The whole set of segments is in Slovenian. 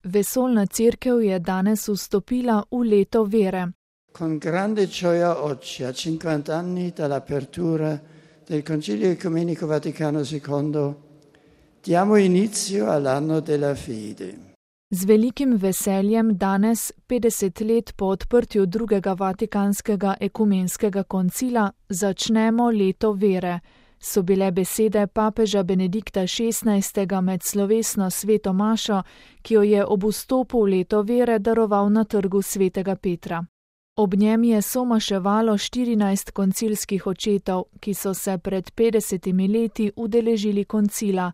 Vesoljna cerkev je danes vstopila v leto vere. Con grande gioia oggi, a 50 anni dall'apertura del Concilio Ecumenico Vaticano II, diamo inizio all'anno della fede. Z velikim veseljem danes, 50 let po odprtju drugega Vatikanskega ekumenskega koncila, začnemo leto vere, so bile besede papeža Benedikta XVI. Med slovesno sveto mašo, ki jo je ob vstopu v leto vere daroval na trgu svetega Petra. Ob njem je somaševalo 14 koncilskih očetov, ki so se pred 50 leti udeležili koncila,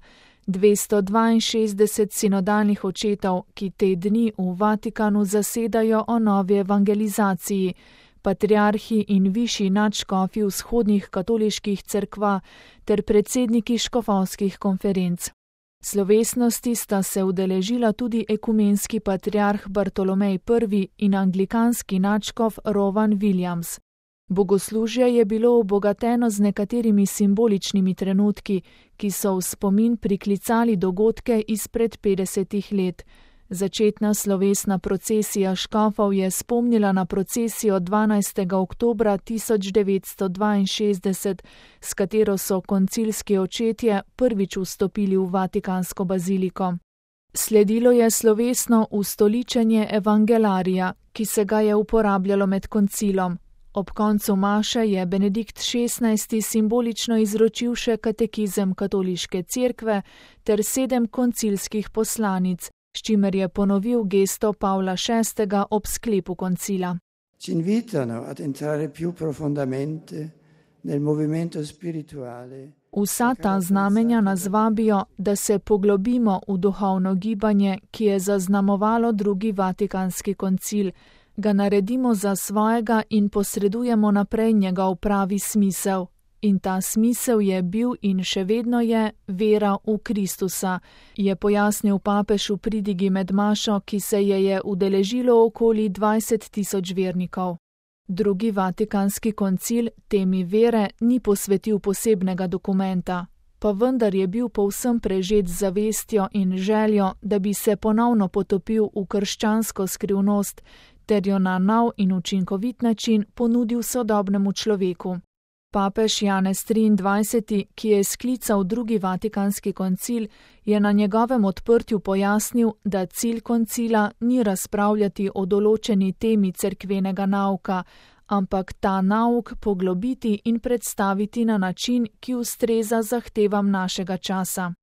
262 sinodalnih očetov, ki te dni v Vatikanu zasedajo o novi evangelizaciji, patriarhi in višji nadškofi vzhodnih katoliških cerkva ter predsedniki škofovskih konferenc. Slovesnosti sta se udeležila tudi ekumenski patriarh Bartolomej I in anglikanski nadškof Rowan Williams. Bogoslužje je bilo obogateno z nekaterimi simboličnimi trenutki, ki so v spomin priklicali dogodke izpred 50 let. Začetna slovesna procesija škofov je spomnila na procesijo 12. oktobra 1962, s katero so koncilski očetje prvič vstopili v Vatikansko baziliko. Sledilo je slovesno ustoličenje evangelarija, ki se ga je uporabljalo med koncilom. Ob koncu maše je Benedikt XVI. Simbolično izročil še katekizem katoliške cerkve ter 7 koncilskih poslanic, s čimer je ponovil gesto Pavla VI. Ob sklepu koncila. Ci invitano ad entrare più profondamente nel movimento spirituale. Vsa ta znamenja nas vabijo, da se poglobimo v duhovno gibanje, ki je zaznamovalo drugi Vatikanski koncil, ga naredimo za svojega in posredujemo naprej njegov pravi smisel. In ta smisel je bil in še vedno je vera v Kristusa, je pojasnil papež v pridigi med mašo, ki se je udeležilo okoli 20 000 vernikov. Drugi Vatikanski koncil temi vere ni posvetil posebnega dokumenta, pa vendar je bil povsem prežet z zavestjo in željo, da bi se ponovno potopil v krščansko skrivnost ter jo na nov in učinkovit način ponudil sodobnemu človeku. Papež Janez XXIII., ki je sklical drugi Vatikanski koncil, je na njegovem odprtju pojasnil, da cilj koncila ni razpravljati o določeni temi cerkvenega nauka, ampak ta nauk poglobiti in predstaviti na način, ki ustreza zahtevam našega časa.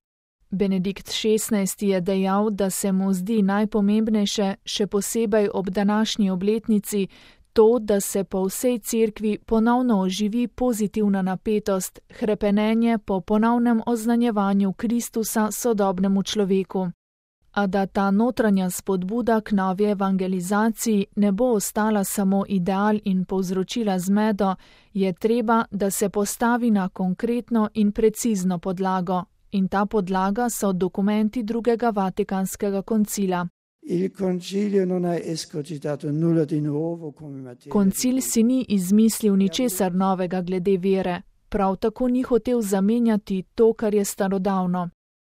Benedikt XVI. Je dejal, da se mu zdi najpomembnejše, še posebej ob današnji obletnici, to, da se po vsej cerkvi ponovno oživi pozitivna napetost, hrepenenje po ponovnem oznanjevanju Kristusa sodobnemu človeku. A da ta notranja spodbuda k novi evangelizaciji ne bo ostala samo ideal in povzročila zmedo, je treba, da se postavi na konkretno in precizno podlago. In ta podlaga so dokumenti drugega Vatikanskega koncila. Koncil si ni izmislil ničesar novega glede vere, prav tako ni hotel zamenjati to, kar je starodavno.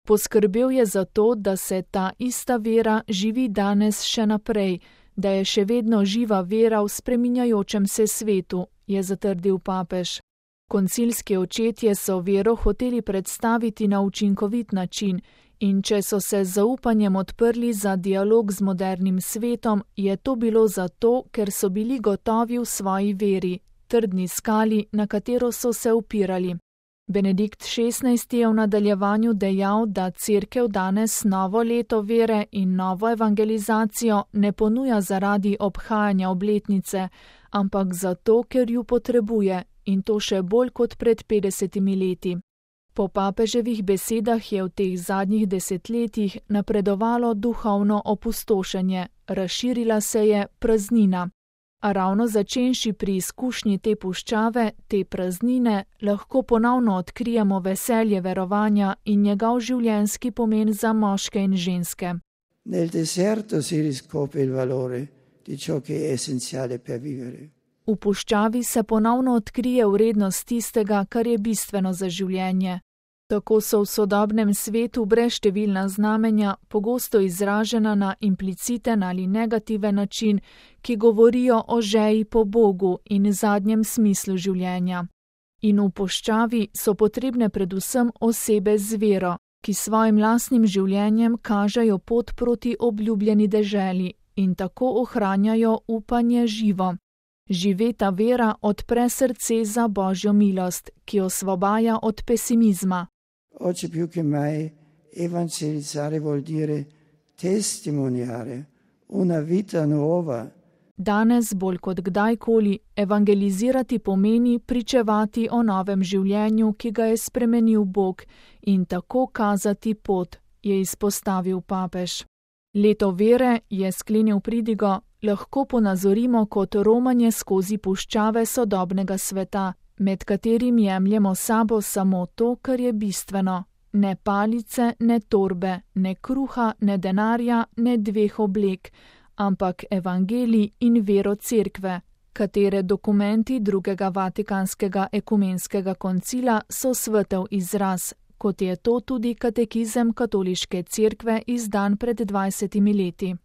Poskrbel je za to, da se ta ista vera živi danes še naprej, da je še vedno živa vera v spreminjajočem se svetu, je zatrdil papež. Koncilski očetje so vero hoteli predstaviti na učinkovit način in če so se z zaupanjem odprli za dialog z modernim svetom, je to bilo zato, ker so bili gotovi v svoji veri, trdni skali, na katero so se upirali. Benedikt XVI. Je v nadaljevanju dejal, da cerkev danes novo leto vere in novo evangelizacijo ne ponuja zaradi obhajanja obletnice, ampak zato, ker ju potrebuje, in to še bolj kot pred 50 leti. Po papeževih besedah je v teh zadnjih desetletjih napredovalo duhovno opustošenje, razširila se je praznina. A ravno začenši pri izkušnji te puščave, te praznine, lahko ponovno odkrijemo veselje verovanja in njegov življenjski pomen za moške in ženske. Nel deserto si riscopre il valore di ciò che è essenziale per vivere. V puščavi se ponovno odkrije vrednost tistega, kar je bistveno za življenje. Tako so v sodobnem svetu brezštevilna znamenja pogosto izražena na impliciten ali negativen način, ki govorijo o žeji po Bogu in zadnjem smislu življenja. In v puščavi so potrebne predvsem osebe z vero, ki svojim lastnim življenjem kažejo pot proti obljubljeni deželi in tako ohranjajo upanje živo. Živeta vera odpre srce za Božjo milost, ki osvobaja od pesimizma. Oggi più che mai evangelizzare vuol dire testimoniare una vita nuova. Danes bolj kot kdajkoli evangelizirati pomeni pričevati o novem življenju, ki ga je spremenil Bog, in tako kazati pot, je izpostavil papež. Leto vere, je sklenil pridigo, lahko ponazorimo kot romanje skozi puščave sodobnega sveta, med katerim jemljemo sabo samo to, kar je bistveno. Ne palice, ne torbe, ne kruha, ne denarja, ne dveh oblek, ampak evangelij in vero cerkve, katere dokumenti drugega Vatikanskega ekumenskega koncila so svetel izraz, kot je to tudi katekizem katoliške cerkve izdan pred 20 leti.